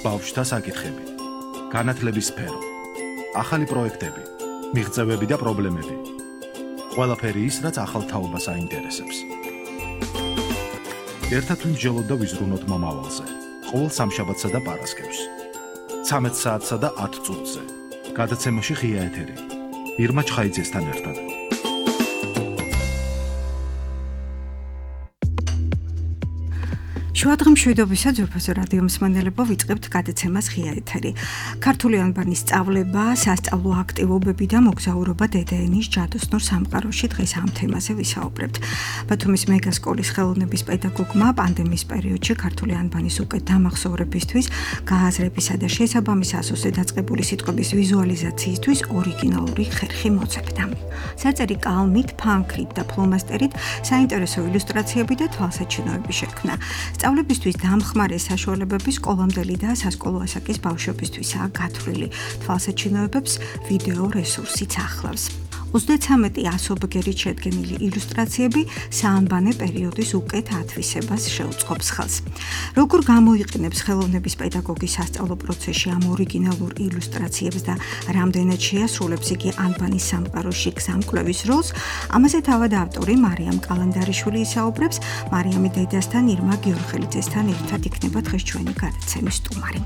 ბავშვთა საკითხები, განათლების სფერო, ახალი პროექტები, მიღწევები და პრობლემები. ყველაფერი ის, რაც ახალ თაობას აინტერესებს. ერთად ვიმსჯელოთ და ვიზრუნოთ მომავალზე. ყოველ სამშაბათსა და პარასკევს. 13 საათსა და 10 წუთზე. გადაცემაში ღია ეთერი. ირმა ჩხაიძესთან ერთად. შუადღემშვიდობისა ძვირფასო რადიო მსმენელებო, ვიწყებთ გადაცემას ღია ეთერი. ქართული ანბანის სწავლება, სასწავლო აქტივობები და მოგზაურობა დედაენის ჯადოსნურ სამყაროში. დღეს ამ თემაზე ვისაუბრებთ. ბათუმის მეგასკოლის ხელოვნების პედაგოგმა პანდემიის პერიოდში ქართული ანბანის უკეთ დამახსოვრებისთვის, გააზრებისა და შესაბამის ასოზე დაწყებული სიტყვების ვიზუალიზაციისთვის ორიგინალური ხერხი მოძებნა. საწერი კალმით, ფანქრით და ფლომასტერით საინტერესო ილუსტრაციები და თვალსაჩინოები შექმნა. სწავლებისთვის დამხმარე საშუალებები სკოლამდელი და სასკოლო ასაკის ბავშვებისთვისაა გათვლილი. თვალსაჩინოებებს ვიდეო რესურსიც ახლავს. 33 ასობგერით შედგენილი ილუსტრაციები საანბანე პერიოდის უკეთ ათვისებას შეუწყობს ხელს. როგორ გამოიყენებს ხელოვნების პედაგოგი სასწავლო პროცესში ამ ორიგინალურ ილუსტრაციებს და რამდენად შეასრულებს იგი ანბანის სამყაროში გზამკვლევის როლს, ამაზე თავად ავტორი მარიამ კალანდარიშვილი ისაუბრებს. მარიამი დედასთან ირმა გიორხელიძესთან ერთად იქნება დღეს ჩვენი გადაცემის სტუმარი.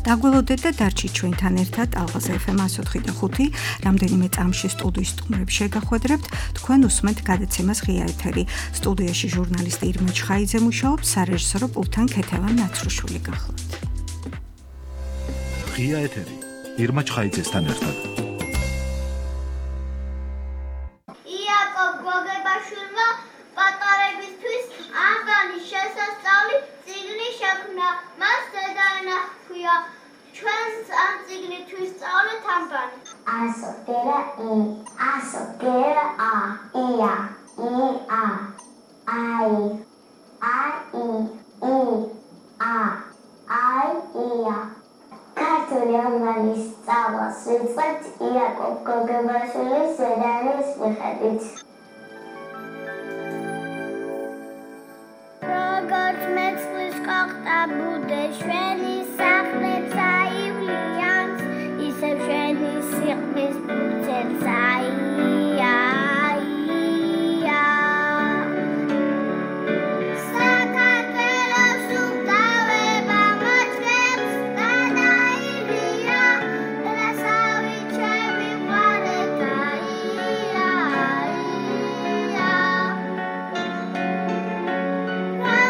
დაგველოდეთ და დარჩით ჩვენთან ერთად ალღაზ FM 104.5 რამდენიმე წამში სტუდიის სტუმრებს შეგახვედრებთ. თქვენ უსმენთ გადაცემას ღია ეთერი. სტუდიაში ჟურნალისტი ირმა ჩხაიძე მუშაობს, სარეჟისორო პულტთან ქეთევან ნაცრუშვილი გახლავთ. ღია ეთერი. ირმა ჩხაიძესთან ერთად. იაკობ გოგებაშვილმა პატარებისთვის ანბანის შესასწავლი წიგნი შექმნა. მას დედაენა ჰქვია. ჩვენს ამ წიგნით ვისწავლეთ ანბანი. ასოგერა ი, ასოგერა ა, ია, ია, აი, აი, ი, ა, აი, ია. ქართული ანბანის სწავლას ვიწყებთ იაკობ გოგებაშვილის ზედაენის მიხედვით. როგორც მეწყლის ყოყტა ბუდე შვენი სახლებს აივლიანს, ისევ შვენი სიყმის ბუცებს აია. საქართველოს უკავება მოჭრებს გადაივია, რასავი ჩემი ყვარეთაია.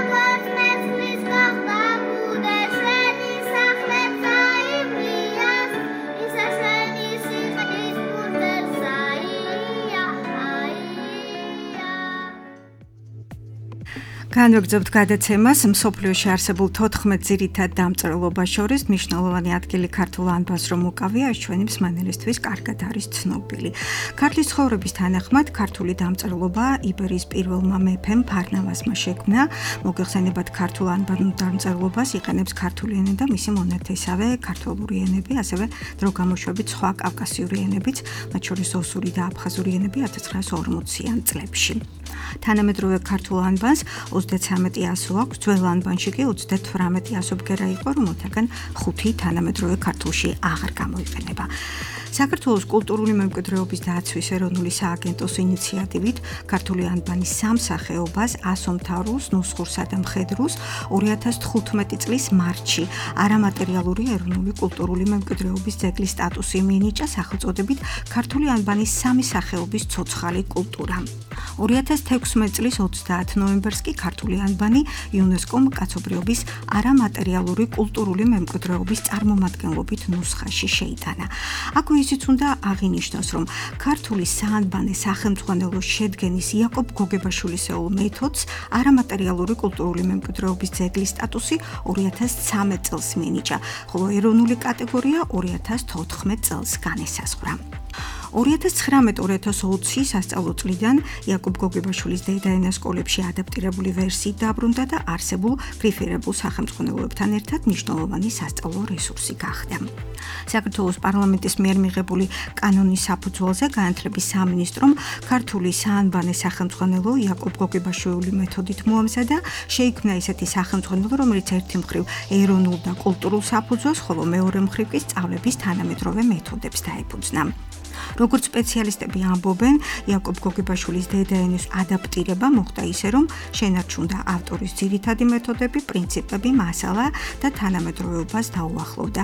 როგორც მეწყლის ყოყტა ბუდე შვენი სახლებს აივლიანს, ისე შვენი სიყმის ბუცებს აია. განვაგრძობთ გადაცემას. მსოფლიოში არსებულ 14 ძირითად დამწერლობას შორის მნიშვნელოვანი ადგილი ქართულ ანბანს რომ უკავია, ეს ჩვენი მსმენელისთვის კარგად არის ცნობილი. ქართლის ცხოვრების თანახმად ქართული დამწერლობა იბერიის პირველმა მეფემ ფარნავაზმა შექმნა. მოგეხსენებათ, ქართულ ანბანურ დამწერლობას იყენებს ქართული ენა და მისი მონათესავე ქართველური ენები, ასევე დრო გამოშვებით სხვა კავკასიური ენებიც, მათ შორის ოსური და აფხაზური ენები 1940-იან წლებში. თანამედროვე ქართულ ანბანს 33 ასო აქვს, ძველ ანბანში კი 38 ასობგერა იყო, რომელთაგან 5 თანამედროვე ქართულში აღარ გამოიყენება. საქართველოს კულტურული მემკვიდრეობის დაცვის ეროვნული სააგენტოს ინიციატივით ქართული ანბანის სამსახეობას ასომთავრულს, ნუსხურსა და მხედრულს 2015 წლის მარტში არამატერიალური ეროვნული კულტურული მემკვიდრეობის ძეგლის სტატუსი მიენიჭა სახელწოდებით ქართული ანბანის სამი სახეობის ცოცხალი კულტურა. 2016 წლის 30 ნოემბერს კი ქართული ანბანი იუნესკომ კაცობრიობის არამატერიალური კულტურული მემკვიდრეობის წარმომადგენლობით ნუსხაში შეიტანა. აქვე ისიც უნდა აღინიშნოს, რომ ქართული საანბანე სახელმძღვანელო შედგენის იაკობ გოგებაშვილისეულ მეთოდს არამატერიალური კულტურული მემკვიდრეობის ძეგლის სტატუსი 2013 წელს მიენიჭა, ხოლო ეროვნული კატეგორია 2014 წელს განესაზღვრა. 2019-2020 სასწავლო წლიდან იაკობ გოგებაშვილის დედაენა სკოლებში ადაპტირებული ვერსიით დაბრუნდა და არსებულ პრიფერებულ სახელმძღვანელოებთან ერთად მნიშვნელოვანი სასწავლო რესურსი გახდა. საქართველოს პარლამენტის მიერ მიღებული კანონის საფუძველზე განათლების სამინისტრომ ქართული საანბანე სახელმძღვანელო იაკობ გოგებაშვილი მეთოდით მოამზადა, შეიქმნა ისეთი სახელმძღვანელო, რომელიც ერთი მხრივ ეროვნულ და კულტურულ საფუძველს, ხოლო მეორე მხრივ კი სწავლების თანამედროვე მეთოდებს დაეფუძნა. Როგორც სპეციალისტები ამბობენ, იაკობ გოგებაშვილის დედაენის ადაპტირება მოხდა ისე, რომ შენარჩუნდა ავტორის ძირითადი მეთოდები, პრინციპები, მასალა და თანამედროვეობას დაუახლოვდა.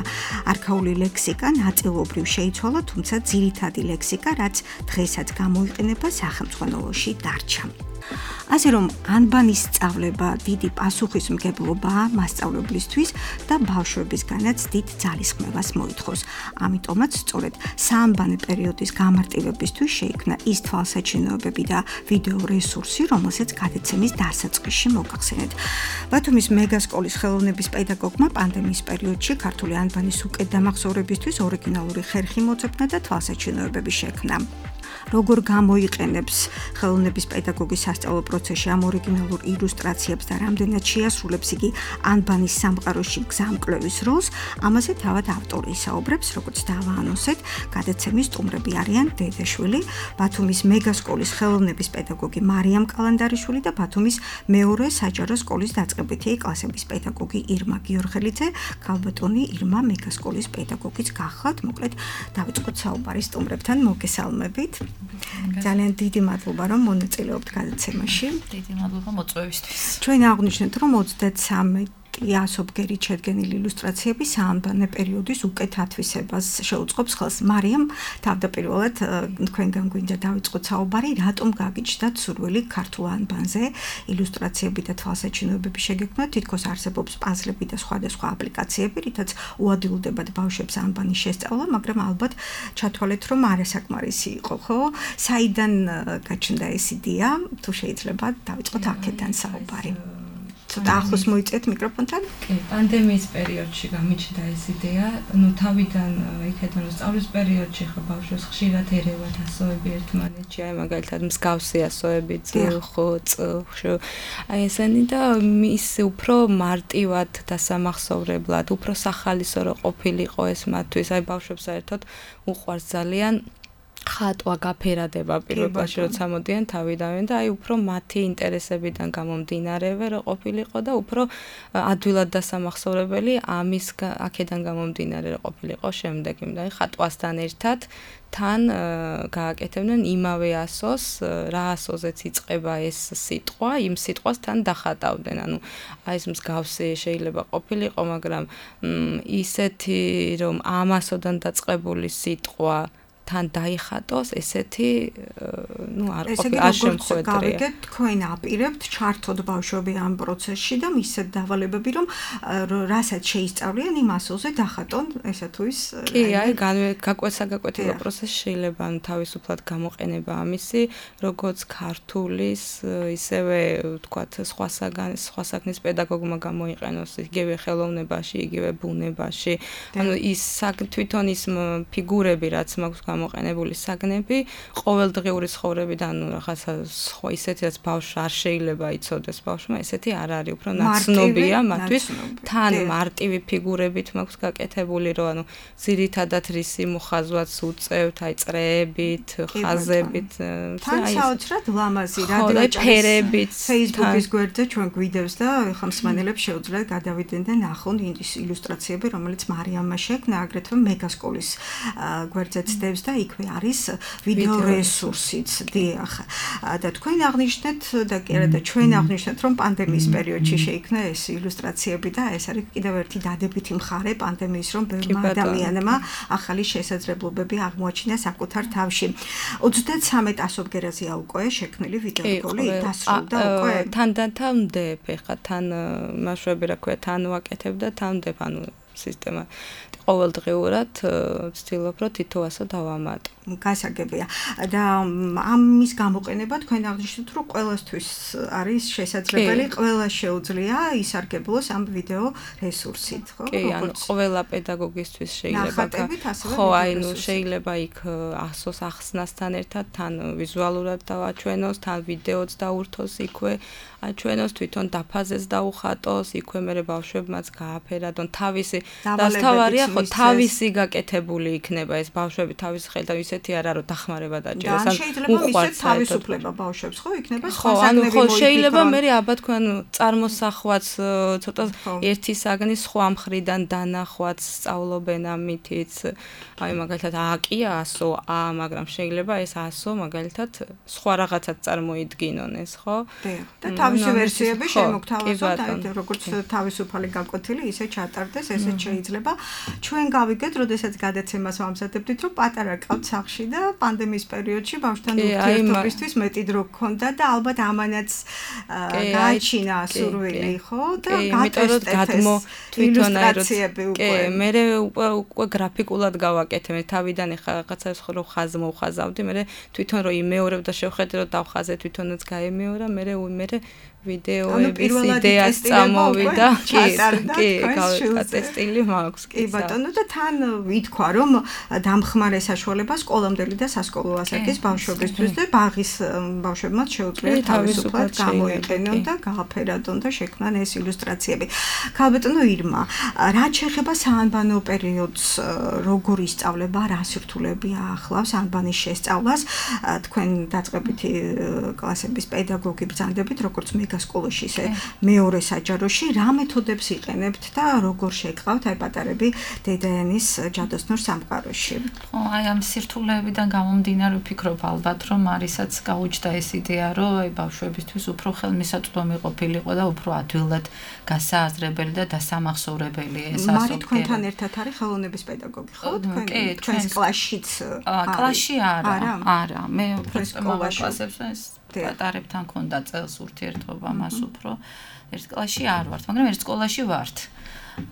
არქაული ლექსიკა ნაწილობრივ შეიცვალა, თუმცა ძირითადი ლექსიკა, რაც დღესაც გამოიყენება სახელმძღვანელოში, დარჩა. ასე რომ ანბანის სწავლება დიდი პასუხისმგებლობაა მასწავლებლისთვის და ბავშვებისგანაც დიდ ძალისხმევას მოითხოვს. ამიტომაც სწორედ საანბანე პერიოდის გამარტივებისთვის შეიქმნა ის თვალსაჩინოებები და ვიდეო რესურსი, რომელსაც გადაცემის დასაწყისში მოგახსენეთ. ბათუმის მეგასკოლის ხელოვნების პედაგოგმა პანდემიის პერიოდში ქართული ანბანის უკეთ დამახსოვრებისთვის ორიგინალური ხერხი მოძებნა და თვალსაჩინოებები შექმნა. როგორ გამოიყენებს ხელოვნების პედაგოგის სასწავლო პროცესში ამ ორიგინალურ ილუსტრაციებს და რამდენად შეასრულებს იგი ანბანის სამყაროში გზამკვლევის როლს, ამაზე თავად ავტორი ისაუბრებს, როგორც დავაანონსეთ, გადაცემის სტუმრები არიან დედაშვილი, ბათუმის მეგასკოლის ხელოვნების პედაგოგი მარიამ კალანდარიშვილი და ბათუმის მეორე საჯარო სკოლის დაწყებითი კლასების პედაგოგი ირმა გიორღელიძე. ქალბატონი ირმა მეგასკოლის პედაგოგიც გახლავთ, მოკლედ დავიწყოთ საუბარი სტუმრებთან, მოგესალმებით. ძალიან დიდი მადლობა, რომ მონაწილეობთ გადაცემაში. დიდი მადლობა მოწვევისთვის. ჩვენ აღვნიშნეთ, რომ 33 ასობგერით შედგენილი ილუსტრაციები საანბანე პერიოდის უკეთ ათვისებას შეუწყობს ხელს. მარიამ, თავდაპირველად თქვენგან გვინდა დავიწყოთ საუბარი, რატომ გაგიჩნდათ სურვილი ქართულ ანბანზე ილუსტრაციები და თვალსაჩინოებები შეგექმნათ? თითქოს არსებობს პაზლები და სხვადასხვა აპლიკაციები, რითაც უადვილდებათ ბავშვებს ანბანის შესწავლა, მაგრამ ალბათ ჩათვალეთ, რომ არასაკმარისი იყო, ხო? საიდან გაჩნდა ეს იდეა? თუ შეიძლება დავიწყოთ აქედან საუბარი. ცოტა ახლოს მოიწეთ მიკროფონთან. პანდემიის პერიოდში გამიჩნდა ეს იდეა. თავიდან იქედან რომ სწავლის პერიოდში ხო ბავშვებს ხშირად ერევათ ასოები ერთმანეთში, აი მაგალითად მსგავსი ასოები ძილ, ხოწ, აი ესენი და ის უფრო მარტივად დასამახსოვრებლად, უფრო სახალისო რო ყოფილიყო ეს მათთვის, აი ბავშვებს საერთოდ უყვარს ძალიან ხატვა გაფერადება პირობაში როცა მოდიან თავიდანვე და აი უფრო მათი ინტერესებიდან გამომდინარევე რო ყოფილიყო და უფრო ადვილად დასამახსოვრებელი ამის აქედან გამომდინარე რო ყოფილიყო შემდეგ იმდა ხატვასთან ერთად თან გააკეთებდნენ იმავე ასოს, რა ასოზეც იწყება ეს სიტყვა, იმ სიტყვას თან დახატავდნენ. ანუ აი ეს მსგავსი შეიძლება ყოფილიყო, მაგრამ ისეთი რომ ამ ασოდან დაწყებული სიტყვა თან დაიხატოს ესეთი არ შემხედრია. თქვენ აპირებთ ჩართოთ ბავშვები ამ პროცესში და მისცეთ დავალებები, რომ რასაც შეისწავლიან იმ ასოზე დახატონ ესა თუ ის. კი, აი გაკვეთილო პროცესი შეიძლება თავისუფლად გამოყენება ამისი, როგორც ქართულის, ისევე ვთქვათ, სხვა საქმის პედაგოგმა გამოიყენოს იგივე ხელოვნებაში, იგივე ბუნებაში. ანუ ის თვითონ ის ფიგურები, რაც მაქვს გამოყენებული საგნები ყოველდღიური ცხოვრებიდან რაღაცა სხვა ისეთი რაც ბავშვს არ შეიძლება იცოდეს ბავშვმა ესეთი არ არის უფრო ნაცნობია მათთვის თან მარტივი ფიგურებით მაქვს გაკეთებული რომ ანუ ძირითადად რისი მოხაზვაც უწევთ აი წრეებით ხაზებით თან საოცრად ლამაზი რადიოჯერებით Facebook-ის გვერდზე ჩვენ გვიდევს და ხა მსმენელებს შეუძლიათ გადავიდნენ და ნახონ ის ილუსტრაციები რომელიც მარიამმა შექმნა აგრეთვე მეგასკოლის გვერდზეც დევს და იქვე არის ვიდეო რესურსიც დიახ და თქვენ აღნიშნეთ და კი არა და ჩვენ აღნიშნეთ რომ პანდემიის პერიოდში შეიქმნა ეს ილუსტრაციები და ეს არის კიდევ ერთი დადებითი მხარე პანდემიის რომ ბევრმა ადამიანმა ახალი შესაძლებლობები აღმოაჩინა საკუთარ თავში 33 ასობგერაზეა უკვე შექმნილი ვიდეოროლი დასრულდა უკვე თანდათან მდებ ეხა თან მაშვები რა ქვია თან ვაკეთებ და თან მდებ ანუ სისტემა. ყოველდღიურად ვცდილობ, რომ თითო ასო დავამატო. გასაგებია. და ამის გამოყენება თქვენ აღნიშნეთ, რომ ყველასთვის არის შესაძლებელი, ყველას შეუძლია ისარგებლოს ამ ვიდეო რესურსით, ხო? კი, ანუ ყველა პედაგოგისთვის შეიძლება ხო, აი ნუ შეიძლება იქ ასოს ახსნასთან ერთად თან ვიზუალურად დავაჩვენოს, თან ვიდეოც დაურთოს იქვე, აჩვენოს თვითონ დაფაზეს დაუხატოს, იქვე მე ბავშვებმაც გააფერადონ თავისი დასთავარია, ხო, თავისი გაკეთებული იქნება ეს ბავშვები თავის ხელთან ისეთი არა რომ დახმარება დაჭერეს, ან შეიძლება ისეთ თავისუფლება ბავშვებს, ხო, იქნება სხვა საგნები მოიფიქრონ. ხო, შეიძლება მე აბა თქვენ წარმოსახვაც ცოტა ერთი საგნის სხვა მხრიდან დანახვაც სწავლობენ ამითიც. აი მაგალითად A-ია 100, A, მაგრამ შეიძლება ეს 100 მაგალითად სხვა რაღაცაც წარმოიდგინონ ეს, ხო? და თავისი ვერსიები შემოგთავაზოთ, აი როგორც თავისუფალი გაკვეთილი ისე ჩატარდეს, ესეც შეიძლება. ჩვენ გავიგეთ, როდესაც გადაცემას ვამზადებდით, რომ პატარა ყავთ სახლში და პანდემიის პერიოდში ბავშვთან ურთიერთობისთვის მეტი დრო გქონდა და ალბათ ამანაც გააჩინა სურვილი, ხო? და გატესტეთ ილუსტრაციები უკვე. კი, მე უკვე გრაფიკულად გავაკეთე, მე თავიდან ეხა რაღაცას რო ხაზმოვხაზავდი, მე თვითონ რო იმეორებ და შევხედე რომ დავხაზე თვითონაც გაემეორა, მე ვიდეოების იდეას წამოვიდა, კი, გატესტილი მაქვს, კი ბატონო და თან ვითქვა რომ დამხმარე საშუალება სკოლამდელი და სასკოლო ასაკის ბავშვებისთვის და ბაღის ბავშვებმაც შეუძლიათ თავისუფლად გამოიყენონ და გააფერადონ და შექმნან ეს ილუსტრაციები. ქალბატონო ირმა, რაც შეეხება საანბანო პერიოდს, როგორ ისწავლება, რა სირთულეები ახლავს ანბანის შესწავლას, თქვენ დაწყებითი კლასების პედაგოგი ბრძანდებით, როგორც მეგასკოლაში, ისე მეორე საჯაროში, რა მეთოდებს იყენებთ და როგორ შეგყავთ აი პატარები დედაენის ჯადოსნურ სამყაროში? ხო, აი ამ სირთულეებიდან გამომდინარე ვფიქრობ ალბათ, რომ არისაც გაუჩნდა ეს იდეა, რომ აი ბავშვებისთვის უფრო ხელმისაწვდომი ყოფილიყო და უფრო ადვილად გასააზრებელი და დასამახსოვრებელი ეს ასო. მარი თქვენთან ერთად არის ხელოვნების პედაგოგი, ხო? თქვენს კლასშიც? კლასში არა, მე უფრო კლასებში პატარებთან ქონდა წელს ურთიერთობა მას უფრო ერთ კლასში არ ვართ, მაგრამ ერთ სკოლაში ვართ.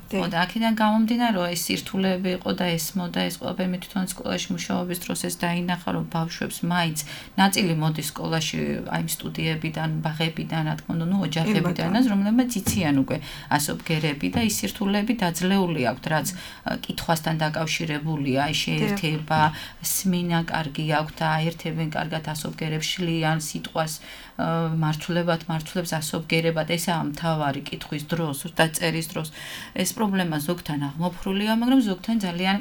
და აქედან გამომდინარე რომ ეს სირთულეები იყო და ესმოდა ეს ყველაფერი მე თვითონ სკოლაში მუშაობის დროს ეს დაინახა რომ ბავშვებს მაინც ნაწილი მოდის სკოლაში აი სტუდიებიდან, ბაღებიდან, რა თქმა უნდა, ოჯახებიდანაც, რომლებიც იციან უკვე ასობგერები და ის სირთულეები დაძლეული აქვთ, რაც კითხვასთან დაკავშირებულია, აი შეერთება, სმინა კარგი აქვთ და აერთებენ კარგად ასობგერებს, შლიან სიტყვას მართლებს ასობგერებად, ესაა მთავარი კითხვის დროს და წერის დროს. ეს პრობლემა ზოგთან აღმოფხვრულია, მაგრამ ზოგთან ძალიან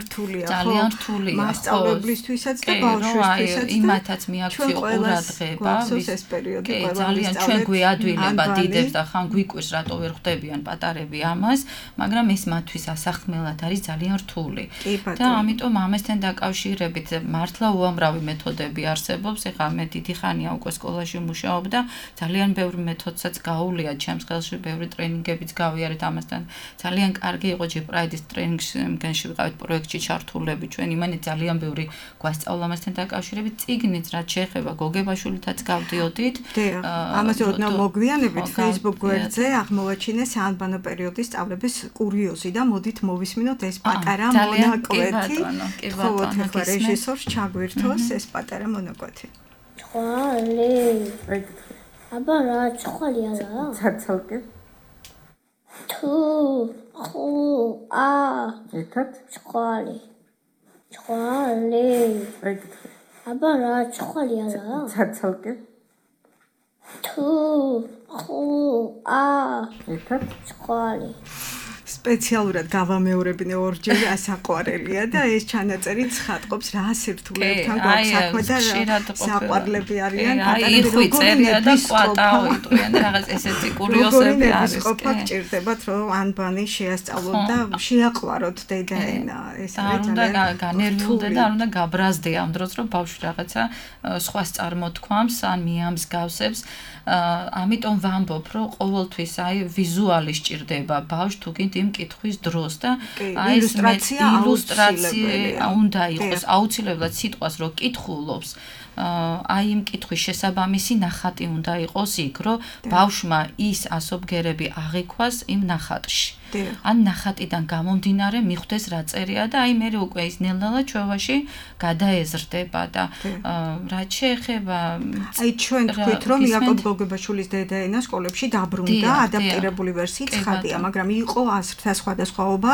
რთულია, ხო? ძალიან რთულია, მასწავლებლისთვისაც და ბავშვისთვისაც. იმათაც მიაქციო ყურადღება, ეს პერიოდი ძალიან ჩვენ გვიადვილება დიდებს და ხან გვიკვირს რატო ვერ ხვდებიან პატარები ამას, მაგრამ ეს მათთვის ასახმელად არის ძალიან რთული. და ამიტომ ამასთან დაკავშირებით მართლა უამრავი მეთოდები არსებობს. ეხლა მე დიდი ხანია უკვე სკოლაში მუშაობ და ძალიან ბევრი მეთოდსაც გაუვლია ჩემს ხელში, ბევრი ტრენინგებიც გავიარეთ ამასთან. ძალიან კარგი იყო ჯეპრაიდის ტრენინგში ვიყავით პროექტში ჩართულები ჩვენ იმანი ძალიან ბევრი გვასწავლა ამასთან დაკავშირებით წიგნიც რაც შეეხება გოგებაშვილითაც გავდიოდით. ამაზე ოდნავ მოგვიანებით Facebook გვერდზე აღმოვაჩინეს საანბანო პერიოდის სწავლების კურიოზი და მოდით მოვისმინოთ ეს პატარა მონაკვეთი. თხოვოთ ახლა რეჟისორს ჩაგვირთოს ეს პატარა მონაკვეთი. ხვალი. აბა რა ხვალი არა? ცალ-ცალკე. თუ ხუ ა ერთად ხვალი. აბა რა ხვალი არა? ცალ-ცალკე. თუ ხუ ა ერთად ხვალი. სპეციალურად გავამეორებინე ორჯერ ასაყვარელია და ეს ჩანაწერი ცხადყოფს რა სირთულეებთან გვაქვს საქმე და საყვარლები არიან პატარები წერია და კვატაო იტყვიან რაღაც ესეთი კურიოზები არის. ყოფა გჭირდებათ რომ ანბანი შეასწავლოთ და შეაყვაროთ დედაენა. ეს არის ძალიან განერვიულდა და არ უნდა გაბრაზდე ამ დროს რომ ბავშვი რაღაცა სხვას წარმოთქვამს ან მიამსგავსებს. ამიტომ ვამბობ რომ ყოველთვის აი ვიზუალი სჭირდება ბავშვს თუ გინდ იმ კითხვის დროს და აი ილუსტრაცია უნდა იყოს აუცილებლად სიტყვას რო კითხულობს აი იმ კითხვის შესაბამისი ნახატი უნდა იყოს იქ რომ ბავშვმა ის ასობგერები აღიქვას იმ ნახატში ან ნახატიდან გამომდინარე მიხვდეს რა წერია და აი მე უკვე ის ნელ-ნელა ჩვევაში გადაეზრდება და რაც შეეხება აი ჩვენ ვთქვით რომ იაკობ გოგებაშვილის დედაენა სკოლებში დაბრუნდა ადაპტირებული ვერსიით ცხადია მაგრამ იყო აზრთა სხვადასხვაობა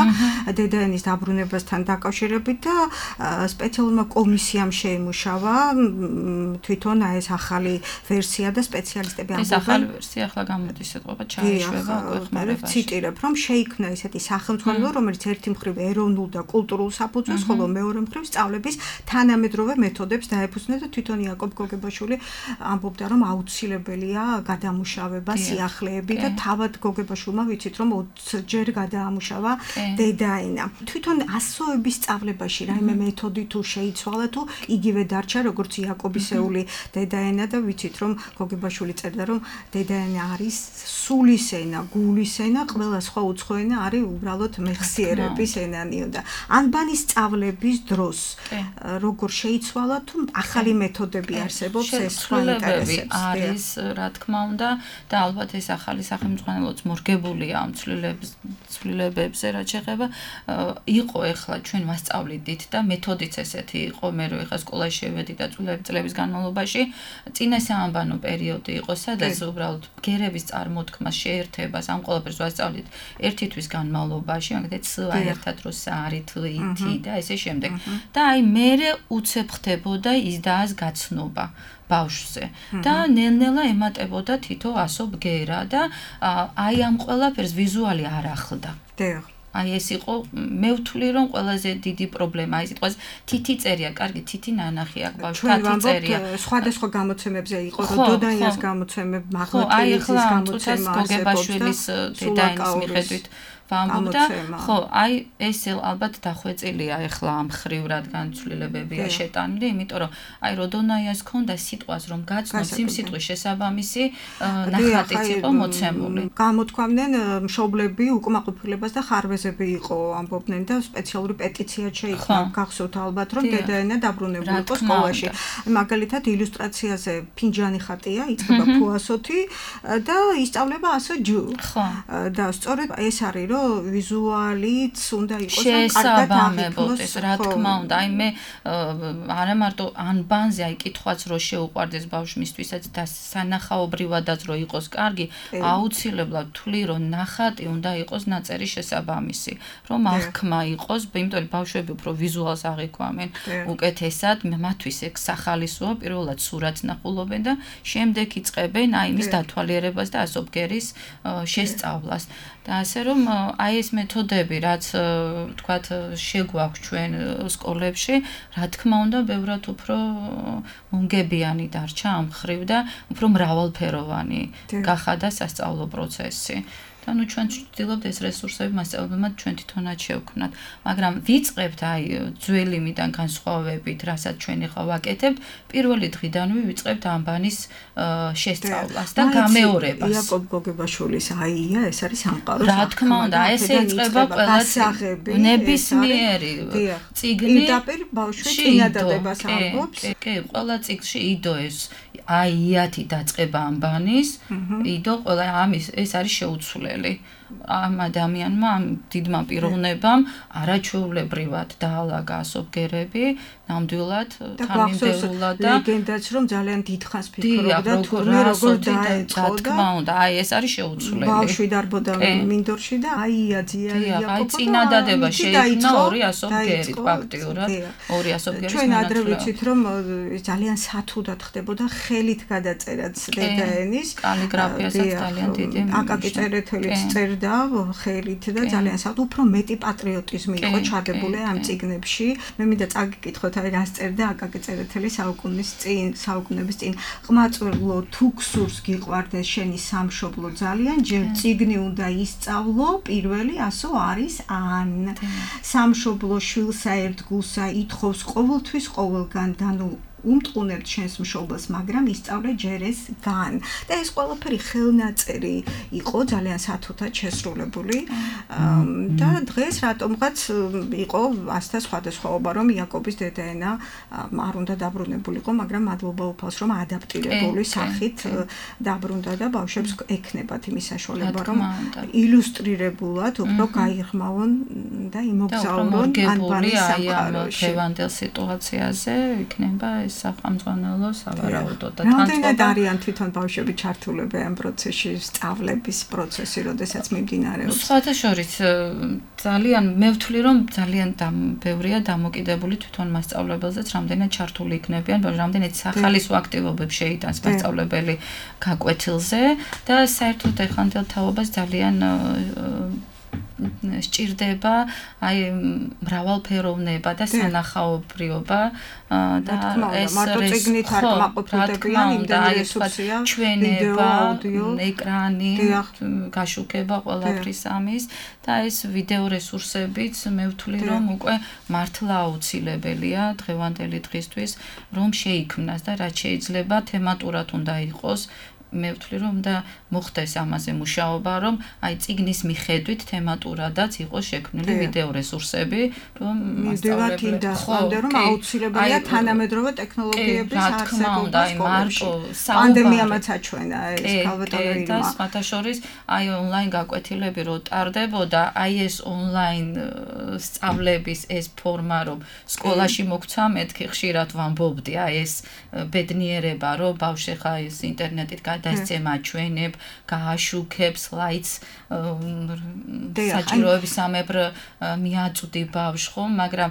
დედაენის დაბრუნებასთან დაკავშირებით და სპეციალურმა კომისიამ შეიმუშავა თვითონ ეს ახალი ვერსია და სპეციალისტები ამბობენ ეს ახალი ვერსია ახლა გამოდის ეთყობა ჩაიშვება უკვე ხმარებაში ციტირებ რომ შეიქმნა ესეთი სახელმძღვანელო რომელიც ერთი მხრივ ეროვნულ და კულტურულ საფუძველს ხოლო მეორე მხრივ სწავლების თანამედროვე მეთოდებს დაეფუძნა და თვითონ იაკობ გოგებაშვილი ამბობდა რომ აუცილებელია გადამუშავება სიახლეები და თავად გოგებაშვილმა ვიცით რომ 20 ჯერ გადაამუშავა დედაენა თვითონ ასოების სწავლებაში რაიმე მეთოდი თუ შეიცვალა თუ იგივე დარჩა როგორც იაკობისეული დედაენა და ვიცით რომ გოგებაშვილი წერდა რომ დედაენა არის სულის ენა, გულის ენა, ყველა სხვა უცხო ენა არის უბრალოდ მეხსიერების ენანიო და ანბანის სწავლების დროს როგორ შეიცვალა თუ ახალი მეთოდები არსებობს ეს სხვა ინტერესებს არის რა თქმა უნდა და ალბათ ეს ახალი სახელმძღვანელოც მორგებულია ამ ცვლილებებზე რაც შეეხება იყო ეხლა ჩვენ მასწავლიდით და მეთოდიც ესეთი იყო მე რო ეხლა სკოლაში შევედი და წლების განმავლობაში წინა საამბანო პერიოდი იყო სადაც უბრალოდ გერების წარმოთქმას შეერთებას ამ ყველაფერს ვასწავლით ერთი თვის განმავლობაში მაგალითად სა ერთად რო საარი თვით და ესე შემდეგ და აი მერე უცებ ხდებოდა ის და ას გაცნობა ბავშვზე და ნელ-ნელა ემატებოდა თითო ასო ბგერა და აი ამ ყველაფერს ვიზუალი არ ახლდა აი ეს იყო მე ვთვლი რომ ყველაზე დიდი პრობლემა აი სიტყვას თითი წერია კარგი თითი ნანახი აქვს ბავშვს თათი წერია სხვადასხვა გამოცემებზე იყო დოდაინას გამოცემები მაღლატელის გამოცემა გოგებაშვილის დედაენის მიხედვით ვამბობდა ხო აი ეს ალბათ დახვეწილია ეხლა ამ ხრივ რადგან ცვლილებებია შეტანილი იმიტომ რომ აი როდონაიას ქონდა სიტყვას რომ გაცნობს იმ სიტყვის შესაბამისი ნახატიც იყო მოცემული გამოთქვამდნენ მშობლები უკმაყოფილებას და ხარვეზები იყო ამბობდნენ და სპეციალური პეტიცია შეიქმნა გახსოვთ ალბათ რომ დედაენა დაბრუნებული იყო სკოლაში მაგალითად ილუსტრაციაზე ფინჯანი ხატია იწყება ფუასოთი და ისწავლება ასო ჯუ და სწორედ ეს არის რომ ვიზუალიც უნდა იყოს შესაბამებოდეს რა თქმა უნდა აი მე არა მარტო ანბანზე აი კითხვაც რო შეუყვარდეს ბავშვისთვისაც და სანახაობრივადაც რო იყოს კარგი აუცილებლად თვლი რომ ნახატი უნდა იყოს ნაწერი შესაბამისი რომ აღქმა იყოს იმიტომ რომ ბავშვები უფრო ვიზუალს აღიქვამენ უკეთესად მათთვის ეგ სახალისოა პირველად სურათს ნახულობენ და შემდეგ იწყებენ აი მის დათვალიერებას და ასობგერის შესწავლას და ასე რომ აი ეს მეთოდები რაც თქვათ შეგვაქვს ჩვენ სკოლებში რა თქმა უნდა ბევრად უფრო უნგებიანი დარჩა ამ ხრივ და უფრო მრავალფეროვანი გახადა სასწავლო პროცესი და ნუ ჩვენ ვცდილობთ ეს რესურსები მასწავლებლებმა ჩვენ თვითონაც შევქმნათ მაგრამ ვიწყებთ აი ძველიმიდან განსხვავებით რასაც ჩვენ ახლა ვაკეთებთ პირველი დღიდანვე ვიწყებთ ანბანის შესწავლას და გამეორებას იაკობ გოგებაშვილის აია ეს არის სამყარო რა თქმა უნდა ესე იწყება ყველა ნებისმიერი წიგნი პირდაპირ ბავშვის წინადადებას ამბობს კი ყველა წიგნში იდო ეს აიათი დაწყება ანბანის იდო ყველა ამის ეს არის შეუცვლელი ამ ადამიანმა ამ დიდმა პიროვნებამ არაჩვეულებრივად დაალაგა ასობგერები ნამდვილად თანმიმდევრულად და ლეგენდაც რომ ძალიან დიდხანს ფიქრობდა თურმე როგორ დაეწყო და თქმა უნდა აი ეს არის შეუცვლელი ბავშვი დარბოდა მინდორში და აიაძია აი წინადადება შეიქმნა ორი ასობგერით ფაქტიურად ორი ასობგერის ჩვენ ადრე ვიცით რომ ძალიან სათუდად ხდებოდა ხელით გადაწერაც დედაენის კალიგრაფიასაც ძალიან დიდი აკაკი წერეთელიც წერდა ხელით და ძალიან უფრო მეტი პატრიოტიზმი იყო ჩადებული ამ წიგნებში მე მინდა წაგიკითხოთ აი რას წერდა აკაკი წერეთელი საუკუნეების წინ ყმაწვილო თუ გსურს გიყვარდეს შენი სამშობლო ძალიან ჯერ წიგნი უნდა ისწავლო პირველი ასო არის ან სამშობლო შვილსა ერთგულსა ითხოვს ყოველთვის ყოველგან და ნუ უმტყუნებთ შენს მშობელს, მაგრამ ისწავლე ჯერ ეს გან. და ეს ყველაფერი ხელნაწერი იყო ძალიან სათუთად შესრულებული. და დღეს რატომღაც იყო ასთა სხვადასხვაობა, რომ იაკობის დედაენა არ უნდა დაბრუნებულიყო, მაგრამ მადლობა უფალს, რომ ადაპტირებული სახით დაბრუნდა და ბავშვებს ექნებათ იმის საშუალება, რომ ილუსტრირებულად უფრო გაიღრმავონ და იმოგზაურონ ანბანის სამყაროში. დღევანდელ სიტუაციაზე იქნება ეს სახელმძღვანელო სავარაუდოდ და რამდენად არიან თვითონ ბავშვები ჩართულები ამ პროცესში, სწავლების პროცესი, როდესაც მიმდინარეობს. სხვათა შორის ძალიან მე ვთვლი, რომ ძალიან ბევრია დამოკიდებული თვითონ მასწავლებელზეც, რამდენად ჩართული იქნებიან, რამდენად სახალისო აქტივობებს შეიტანს მასწავლებელი გაკვეთილზე და საერთოდ ეხანდელ თაობას ძალიან სჭირდება აი მრავალფეროვნება და სანახაობრიობა და ეს მარტო წიგნით არ კმაყოფილებიან, იმდენი რესურსია, ჩვენება, ეკრანი, გაშუქება ყველაფრის ამის და ეს ვიდეო რესურსებიც მე ვთვლი, რომ უკვე მართლა აუცილებელია დღევანდელი დღისთვის, რომ შეიქმნას და რაც შეიძლება თემატურად უნდა იყოს. მე ვთვლი, რომ და მოხდეს ამაზე მუშაობა, რომ აი წიგნის მიხედვით თემატურადაც იყოს შექმნილი ვიდეო რესურსები, რომ მასწავლებელი რომ აუცილებელია თანამედროვე ტექნოლოგიების არსებობა სკოლებში. პანდემიამაც აჩვენა ეს ქალბატონო ირმა. და სხვათა შორის აი ონლაინ გაკვეთილები რო ტარდებოდა, აი ეს ონლაინ სწავლების ეს ფორმა, რომ სკოლაში მოგვცა, მეთქი ხშირად ვამბობდი, აი ეს ბედნიერება, რომ ბავშვი ხა ეს ინტერნეტით დასცემა ჩვენებ, გააშუქებ სლაიდს საჭიროების ამებრ მიაწვდი ბავშვს, ხო, მაგრამ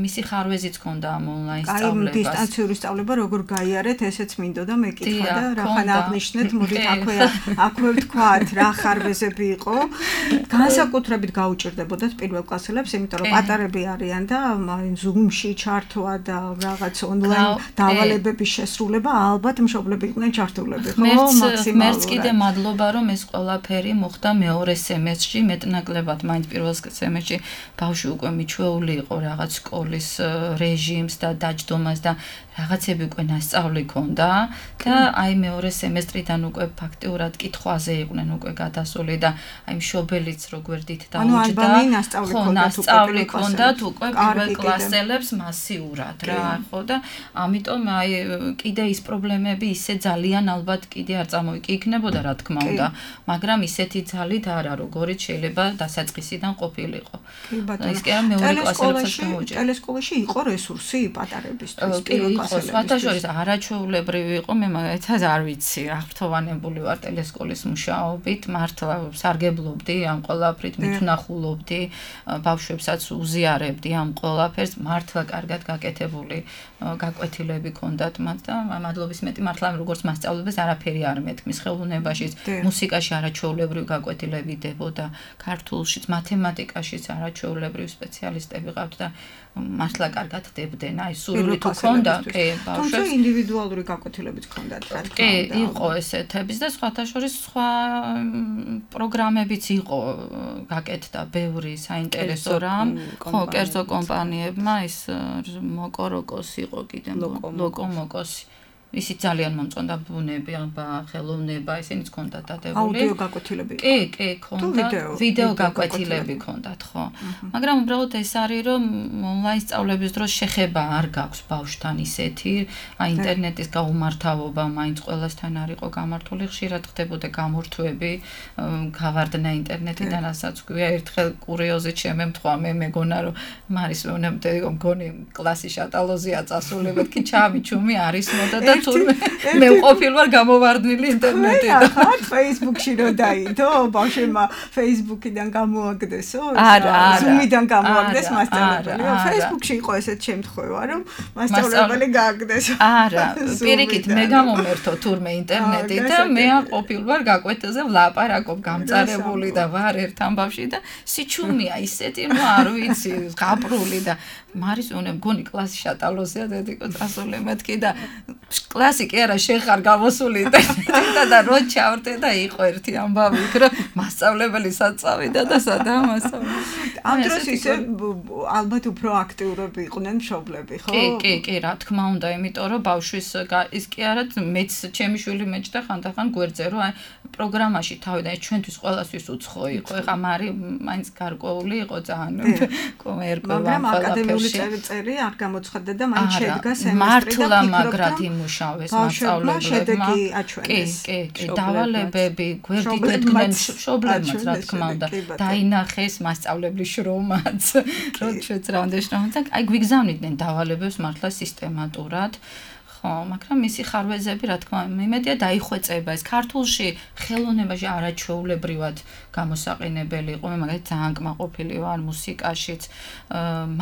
მისი ხარვეზიც ქონდა ამ ონლაინ სწავლებას. აი დისტანციური სწავლება როგორ გაიარეთ, ესეც მინდოდა მეკითხა და რახან აღნიშნეთ, მოდით აქვე ვთქვათ, რა ხარვეზები იყო. განსაკუთრებით გაუჭირდებოდათ პირველ კლასელებს, იმიტომ რომ პატარები არიან და Zoom-ში ჩართვა და რაღაც ონლაინ დავალებების შესრულება ალბათ მშობლები იყვნენ ჩართულები, ხო? მერც კიდე მადლობა, რომ ეს ყველაფერი მოხდა მეორე სემესტრში, მეტნაკლებად მაინც პირველ სემესტრში ბავშვი უკვე მიჩვეული იყო რაღაც სკოლის რეჟიმს და დაჯდომას და რაღაცები უკვე ნასწავლი ქონდა და აი მეორე სემესტრიდან უკვე ფაქტიურად კითხვაზე იყვნენ უკვე გადასული და აი მშობელიც როგვერდით დაუჯდა. ხო, ნასწავლი ქონდათ უკვე პირველ კლასელებს მასიურად რა, ხო და ამიტომ აი კიდე ის პრობლემები ისე ძალიან ალბათ კიდე არ წამოიკიგნებოდა რა თქმა უნდა, მაგრამ ისეთი ძალით არა, როგორიც შეიძლება დასაწყისიდან ყოფილიყო. ის კი არა მეორე კლასელებსაც გამოუჭირდა. ტელესკოლაში იყო რესურსი პატარებისთვის პირველ კლასელებისთვის. სხვათა შორის არაჩვეულებრივი იყო, მე მაგალითად არ ვიცი, აღფრთოვანებული ვარ ტელესკოლის მუშაობით, მართლა სარგებლობდი ამ ყველაფრით, მithunახულობდი, ბავშვებსაც უზიარებდი ამ ყველაფერს, მართლა კარგად გაკეთებული გაკვეთილები ქონდათ მათ და მადლობის მეტი მართლა როგორც მასწავლებლებს არაფერი არ მეთქმის ხელოვნებაში, მუსიკაში არაჩვეულებრივი გაკვეთილები დებოდა, ქართულშიც, მათემატიკაშიც არაჩვეულებრივი სპეციალისტები ყავთ და მართლა კარგად დებდნენ, აი სურვილი თუ ქონდა, ბავშვებს. თუმცა ინდივიდუალური გაკვეთილებიც ქონდათ, რა თქმა უნდა. იყო ესეთების და სხვათა შორის სხვა პროგრამებიც იყო გაკეთდა ბევრი საინტერესო რამ. ხო, კერძო კომპანიებმა ის მოკოროკოს იყო კიდე ლოკომოკოსი. ისი ძალიან მომწონდა ბუნები, ხელოვნება, ისინიც ქონდათ დადებული. აუდიო გაკვეთილები. კი, ქონდა. ვიდეო გაკვეთილები ქონდათ, ხო. მაგრამ უბრალოდ ეს არის, რომ ონლაინ სწავლების დროს შეხება არ გაქვს ბავშვთან ისეთი, აი ინტერნეტის გაუმართავობა მაინც ყველასთან არ იყო გამართული, ხშირად ხდებოდა გამორთვები, გავარდნა ინტერნეტიდან, რასაც გვია ერთხელ კურიოზით შემემთხვა, მე მეგონა რომ მარის მგონი კლასი შატალოზია წასული, მეთქი ჩამიჩუმი არის მოდა და მე ვყოფილ ვარ გამოვარდნილი ინტერნეტიდან. ახლა Facebook-ში რო დაიდო, ბავშვებმა Facebook-იდან გამოაგდესო, Zoom-იდან გამოაგდეს მასწავლებელი. Facebook-ში იყო ესეთ შემთხვევა, რომ მასწავლებელი გააგდესო. არა, პირიქით მე გამომერთო თურმე ინტერნეტით და მე ყოფილ ვარ გაკვეთილზე ვლაპარაკობ გამწარებული და ვარ ერთ ამბავში და სიჩუმეა ისეთი, ნუ არ ვიცი, გაპრული და მარის უნე მგონი კლასი შატალოზია დედიკო წასული მეთქი და კლასი კი არა შეხარ გამოსული და რო ჩავრდე და იყო ერთი ამბავი იქ რომ მასწავლებელი საწავიდა და სადაა მასწავლებელი. ამ დროს ისე ალბათ უფრო აქტიურები იყვნენ მშობლები, ხო? კი, რა თქმა უნდა, იმიტომ რომ ბავშვის ის კი არა, მეც ჩემი შვილი მეჭდა ხანდახან გვერდზე, რომ აი პროგრამაში თავიდან ჩვენთვის ყველასთვის უცხო იყო. ეხა მარი მაინც გარკვეული იყო ძალიან ერკვევა მაგრამ აკადემიური წერი არ გამოცხადდა და მაინც შედგა სემესტრი და მართლა მაგრად იმუშავეს მასწავლებლებმა. კი, დავალებები, გვერდით ედგნენ მშობლებმაც, რა თქმა უნდა, დაინახეს მასწავლებლის შრომაც, რომ ჩვენც რა უნდა შრომაც, აი გვიგზავნიდნენ დავალებებს მართლა სისტემატურად. ხო, მაგრამ მისი ხარვეზები, რა თქმა უნდა, იმედია დაიხვეწება ეს ქართულში ხელოვნებაში არაჩვეულებრივად გამოსაყენებელი იყო. მე მაგალითად ძალიან კმაყოფილი ვარ მუსიკაშიც,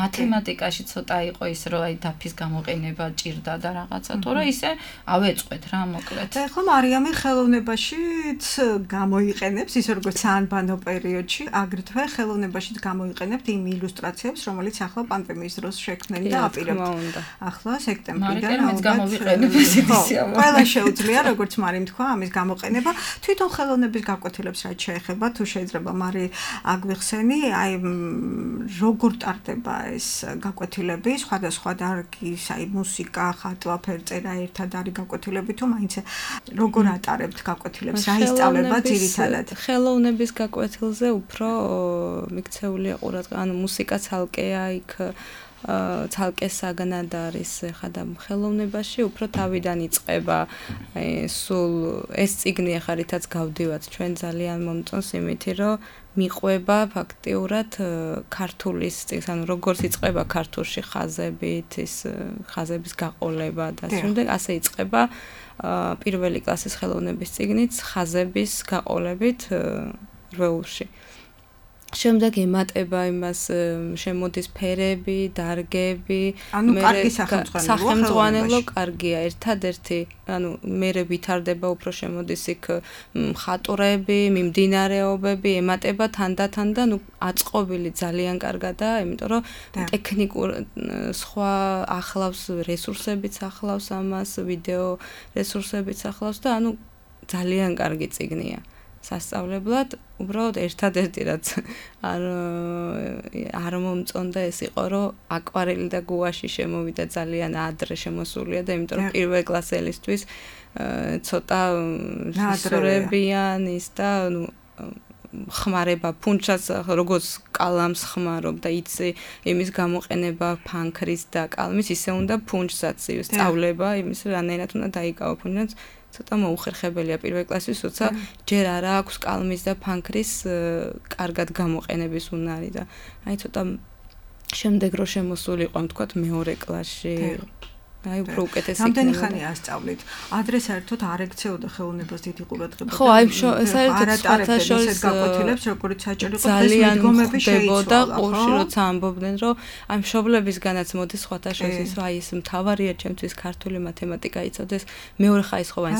მათემატიკაში ცოტა იყო ის, რომ აი დაფის გამოყენება ჭირდა და რაღაცა, თორე ისე ავეწყვეთ რა, მოკლედ. ხო, მარიამი ხელოვნებაშიც გამოიყენებს, ისე როგორც საანბანო პერიოდში, აგრეთვე ხელოვნებაშიც გამოიყენებთ იმ ილუსტრაციებს, რომელიც ახლა პანდემიის დროს შექმნილი და აპირებთ. ახლა სექტემბრიდან ყველა შეუძლია, როგორც მარიმ თქვა, ამის გამოყენება. თვითონ ხელოვნების გაკვეთილებს რაც შეეხება, თუ შეიძლება მარი აგვიხსენი, აი როგორ ტარდება ეს გაკვეთილები, სხვადასხვა დარგის, აი მუსიკა, ხატვა, ფერწერა ერთად არის გაკვეთილები, თუ მაინც როგორ ატარებთ გაკვეთილებს, რა ისწავლება ძირითადად? ხელოვნების გაკვეთილზე უფრო მიქცეულია ყურადღება, ანუ მუსიკა ცალკეა იქ ცალკე საგნად არის ხა და ხელოვნებაში უფრო თავიდან იწყება სულ ეს წიგნი ახლა რითაც გავდივართ ჩვენ ძალიან მომწონს იმითი რომ მიყვება ფაქტიურად ქართულის წიგნს ანუ როგორც იწყება ქართულში ხაზებით ის ხაზების გაყოლება და შემდეგ ასე იწყება პირველი კლასის ხელოვნების წიგნიც ხაზების გაყოლებით რვეულში შემდეგ ემატება იმას შემოდის ფერები, დარგები, ანუ კარგი სახელმძღვანელო კარგია, ერთადერთი, ანუ მერე ვითარდება უფრო შემოდის იქ მხატვრები, მიმდინარეობები, ემატება თანდათან და ნუ აწყობილი ძალიან კარგადაა, იმიტომ რომ ტექნიკურ სხვა ახლავს რესურსებიც ახლავს ამას, ვიდეო რესურსებიც ახლავს და ანუ ძალიან კარგი წიგნია. სასწავლებლად უბრალოდ ერთადერთი რაც არ მომწონდა ეს იყო რომ აკვარელი და გუაში შემოვიდა ძალიან ადრე შემოსულია და იმიტომ რომ პირველ კლასელისთვის ცოტა სურებიან ის და ნუ ხმარება ფუნჩას როგორც კალამს ხმარობ და იცი იმის გამოყენება ფანქრის და კალმის ისე უნდა ფუნჩსაც სწავლება იმის რანაირად უნდა დაიკავო ფუნჩაც ცოტა მოუხერხებელია პირველ კლასის როცა ჯერ არა აქვს კალმის და ფანქრის კარგად გამოყენების უნარი და აი ცოტა შემდეგ რო შემოსულიყო თქვათ მეორე კლასში აი უფრო უკეთესი რამდენი ხანია ასწავლით ადრე საერთოდ არ ექცეოდა ხელოვნებას დიდი ყურადღება ხო აი საერთოდ სხვათა შორის გაკვეთილებს როგორც საჭირო იყო ძალიან ხდებოდა ყურში როცა ამბობდნენ რომ აი მშობლებისგანაც მოდის სხვათა შორის ის რომ აი ეს მთავარია ჩემთვის ქართული მათემატიკა იცოდეს მეორე ხაისხოვანი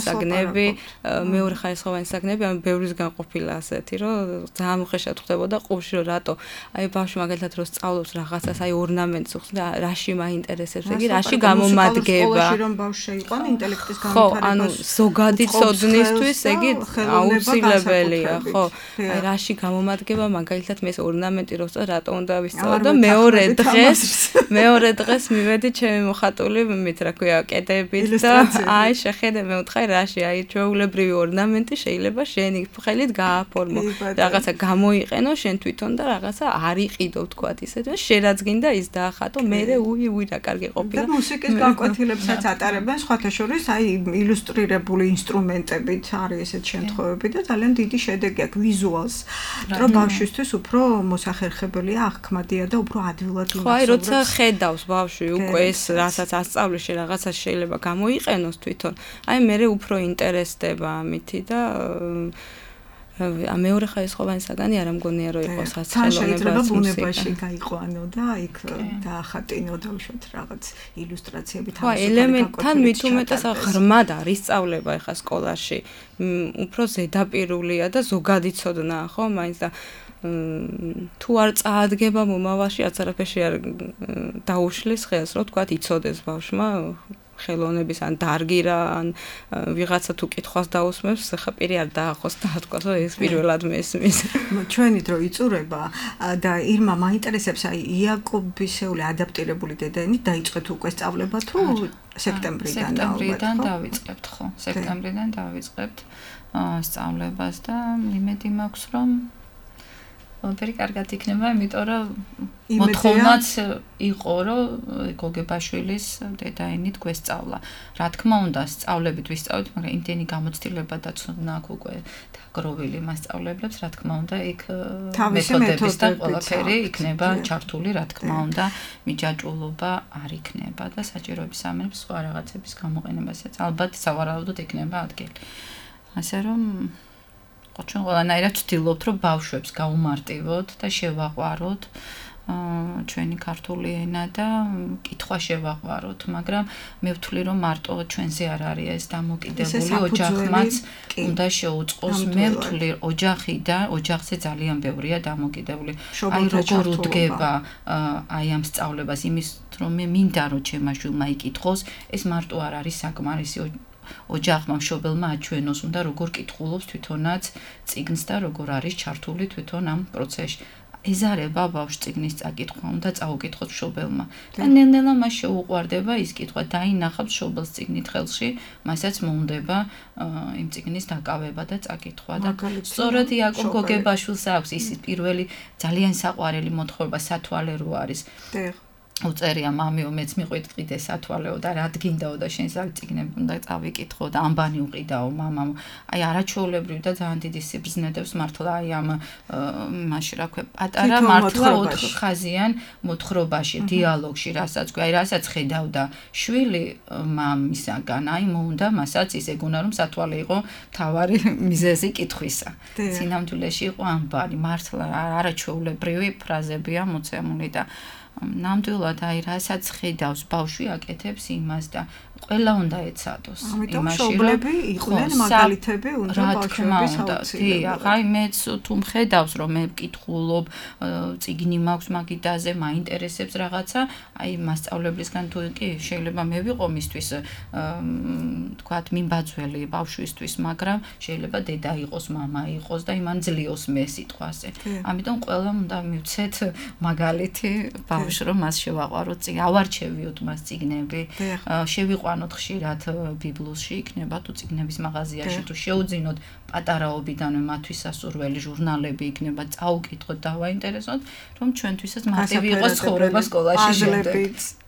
საგნები ამ ბევრისგან ყოფილა ასეთი რომ ძალიან უხეშად ხდებოდა ყურში რომ რატო აი ბავშვი მაგალითად რო სწავლობს რაღაცას აი ორნამენტს უხსნა და რაში მაინტერესებს იგი რაში გამომადგება სკოლაში რომ ბავშვი იყო ინტელექტის განვითარებას ხო ანუ ზოგადი ცოდნისთვის იგი აუცილებელია ხო აი რაში გამომადგება მაგალითად მე ეს ორნამენტი რო ვსწავლე რატო უნდა ვისწავლო და მეორე დღეს მივედი ჩემი მოხატული მით რა ქვია კედებით და აი შეხედე მე ვთხარ რაში აი ჩვეულებრივი ორნამენტი შეიძლება შენი ხელით გააფორმო რაღაცა გამოიყენო შენ თვითონ და რაღაცა არ იყიდო თქვათ ისე და შენაც გინდა ის დაახატო მე უი რა კარგი ყოფილა და მუსიკის გაკვეთილებსაც ატარებენ სხვათა შორის აი ილუსტრირებული ინსტრუმენტებით არის ესეთ შემთხვევები და ძალიან დიდი შედეგი აქვს ვიზუალს რომ ბავშვისთვის უფრო მოსახერხებელია აღქმადია და უფრო ადვილად იმასწავლებს ხო აი როცა ხედავს ბავშვი უკვე ეს რასაც ასწავლის რაღაცა შეიძლება გამოიყენოს თვითონ აი მე უფრო ინტერესდება ამითი და მეორე ხაისხოვანი საგანი არ ამგონია რომ იყოს რაც შეიძლება ბუნებაში გაიყვანო და იქ დაახატინო და უშოთ რაღაც ილუსტრაციები თავისუფალი ელემენტთან მით უმეტეს ღრმად არის სწავლება ახლა სკოლაში უფრო ზედაპირულია და ზოგადი ცოდნაა ხო მაინც და თუ არ წაადგება მომავალში არც არაფერში არ დაუშლის ხელს რომ თქვა იცოდეს ბავშვმა ხელოვნების ან დარგი რა ან ვიღაცა თუ კითხვას დაусმებს, ხა პირი არ დაახოს და თქვა, რომ ეს პირველად მესმის. ჩვენი დრო იწურება და ირმა მაინტერესებს აი იაკობისეული ადაპტირებული დედაენით დაიწყეთ უკვე სწავლება თუ სექტემბრიდან დავიწყებთ ხო? სექტემბრიდან დავიწყებთ სწავლებას და იმედი მაქვს რომ ყველაფერი კარგად იქნება, იმიტომ რომ მოთხოვნაც იყო, რომ გოგებაშვილის დედაენით გვესწავლა. რა თქმა უნდა, სწავლებით ვისწავლეთ, მაგრამ იმდენი გამოცდილება და ცოდნა აქვს უკვე დაგროვილი მასწავლებლებს, რა თქმა უნდა, იქ მეთოდების და ყველაფერი იქნება ჩართული, რა თქმა უნდა, მიჯაჭვულობა არ იქნება და საჭიროების სამეფოს სხვა რაღაცების გამოყენებასაც ალბათ სავარაუდოდ იქნება ადგილი. ასე რომ ჩვენ ყველანაირად ვცდილობთ, რომ ბავშვებს გაუმარტივოთ და შევაყვაროთ ჩვენი ქართული ენა და კითხვა შევაყვაროთ, მაგრამ მე ვთვლი, რომ მარტო ჩვენზე არ არის ეს დამოკიდებული, ოჯახმაც უნდა შეუწყოს. მე ვთვლი, ოჯახზე ძალიან ბევრია დამოკიდებული. აი როგორ უდგება აი ამ სწავლებას იმის, რომ მე მინდა რომ ჩემმა შვილმა იკითხოს, ეს მარტო არ არის საკმარისი. ოჯახმა მშობელმა აჩვენოს უნდა როგორ კითხულობს თვითონაც წიგნს და როგორ არის ჩართული თვითონ ამ პროცესში. ეზარება ბავშვს წიგნის წაკითხვა, უნდა წაუკითხოს მშობელმა. და ნელ-ნელა მას შეუყვარდება ის კითხვა, დაინახავს მშობელს წიგნით ხელში, მასაც მოუნდება იმ წიგნის დაკავება და წაკითხვა და სწორედ იაკობ გოგებაშვილს აქვს ის პირველი ძალიან საყვარელი მოთხრობა სათვალერო არის. უწერია მამიო მეც მიყვიტყიდე სათვალეო და რა დგინდაო და შენ წიგნები უნდა წავიკითხო და ამბანი უყიდაო მამამ. აი არაჩვეულებრივი და ძალიან დიდი სიბრძნედებს მართლა აი ამ მაშინ რა ქვია პატარა მართლა 4 ხაზიან მოთხრობაში დიალოგში რასაც ქვია აი რასაც ხედავდა შვილი მამისაგან აი მოუნდა მასაც ის ეგონა რომ სათვალე იყო თავარი მიზეზი კითხვისა. სინამდვილეში იყო ამბანი მართლა არაჩვეულებრივი ფრაზებია მოცემული და ნამდვილად აი რასაც ხედავს ბავშვი აკეთებს იმას და ყველა უნდა ეცადოს იმაში რომ მშობლები იყვნენ მაგალითები უნდა ბავშვების აუცილებლად. აი მეც თუ მხედავს რომ მე ვკითხულობ წიგნი მაქვს მაგიდაზე მაინტერესებს რაღაცა აი მასწავლებლისგან თუ კი შეიძლება მე ვიყო მისთვის თქვათ მიმბაძველი ბავშვისთვის მაგრამ შეიძლება დედა იყოს მამა იყოს და იმან ძლიოს მე სიტყვაზე. ამიტომ ყველა უნდა მივცეთ მაგალითი ბავშვს რომ მას შევაყვაროთ წიგნი ავარჩევიოთ მას წიგნები შევიყვანოთ ხშირად ბიბლიოში იქნება თუ წიგნების მაღაზიაში თუ შეუძინოთ პატარაობიდანვე მათთვის სასურველი ჟურნალები იქნება წაუკითხოთ დავაინტერესოთ რომ ჩვენთვისაც მარტივი იყოს ცხოვრება სკოლაში შემდეგ.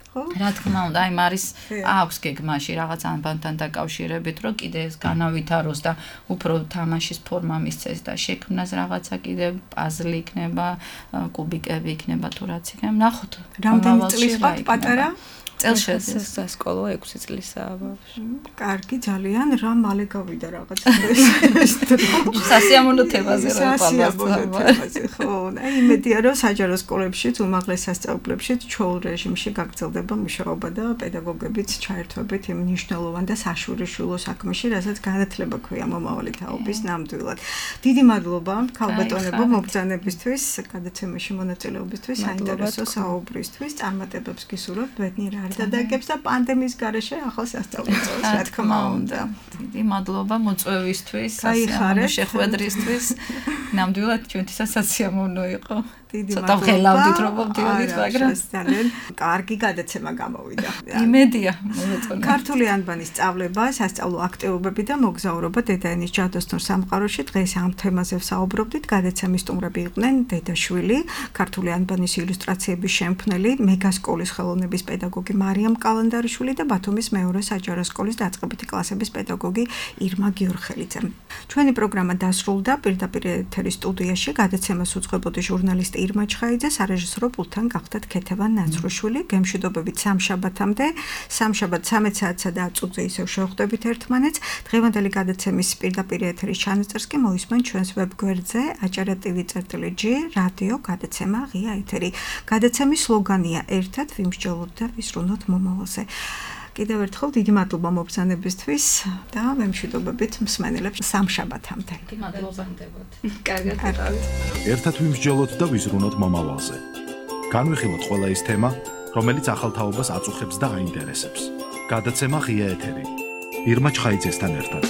რა თქმა უნდა, აი მარის აქვს გეგმაში რაღაც ამბანთან დაკავშირებით, რომ კიდე ეს განავითაროს და უფრო თამაშის ფორმა მისცეს და შექმნას რაღაცა კიდე პაზლი იქნება, კუბიკები იქნება თუ რაც იქნება. ნახოთ. რამდენი წლის ხართ პატარა? წელს სასკოლო 6 წლისაა ბავშვი. კარგი ძალიან რა მალე გავიდა რაღაც ეს სასიამოვნო თემაზე რა თემაზე ხო აი იმედია რომ საჯარო სკოლებში უმაღლეს სასწავლებლებში ჩვეულ რეჟიმში გაგრძელდება მუშაობა და პედაგოგებიც ჩაერთვებით იმ მნიშვნელოვან და საშურიშულო საქმეში რასაც განათლება ქვია მომავალი თაობის ნამდვილად. დიდი მადლობა ქალბატონებო მობრძანებისთვის გადაცემაში მონაწილეობისთვის საინტერესო საუბრისთვის წარმატებებს გისურვებთ ბედნიერ დაგებს და პანდემიის გარეშე ახალ სასწავლო წელს რა თქმა უნდა. დიდი მადლობა მოწვევისთვის, შეხვედრისთვის. ნამდვილად ჩვენთვისაც სასიამოვნო იყო. დიდი მადლობა. ცოტა ხელავდით რომ მოვდიოდით, მაგრამ ძალიან კარგი გადაცემა გამოვიდა. იმედია მომეწონა. ქართული ანბანის სწავლება, სასწავლო აქტივობები და მოგზაურობა დედაენის ჯადოსნურ სამყაროში დღეს ამ თემაზე ვსაუბრობდით. გადაცემის სტუმრები იყვნენ დედაშვილი, ქართული ანბანის ილუსტრაციების შემქმნელი, მეგასკოლის ხელოვნების პედაგოგი მარიამ კალანდარიშვილი და ბათუმის მეორე საჯარო სკოლის დაწყებითი კლასების პედაგოგი ირმა გიორხელიძე. ჩვენი პროგრამა დასრულდა პირდაპირ ეთერის სტუდიაში გადაცემას უძღვებოდი ჟურნალისტი ირმა ჩხაიძე, სარეჟისორო პულტთან გახდათ ქეთევან ნაცრუშვილი. გემშვიდობებით სამშაბათამდე, სამშაბათ 13 საათსა და 10 წუთზე ისევ შევხვდებით ერთმანეთს. დღევანდელი გადაცემის პირდაპირ ეთერის ჩანაწერს კი მოისმენთ ჩვენს ვებგვერდზე acara.tv.g რადიო გადაცემა ღია ეთერი. გადაცემის სლოგანია ერთად ვიმსჯელოთ და ვისრუნოთ მომავალზე. კიდევ ერთხელ დიდი მადლობა მობრძანებისთვის და ვემშვიდობებით მსმენელებს სამშაბათამდე. დიდი მადლობა ნდებოდ. კარგად გიყავით. ერთად ვიმსჯელოთ და ვიზრუნოთ მომავალზე. განვიხილოთ ყველა ის თემა, რომელიც ახალ თაობას აწუხებს და აინტერესებს. გადაცემა ღია ეთერი. ირმა ჩხაიძესთან ერთად.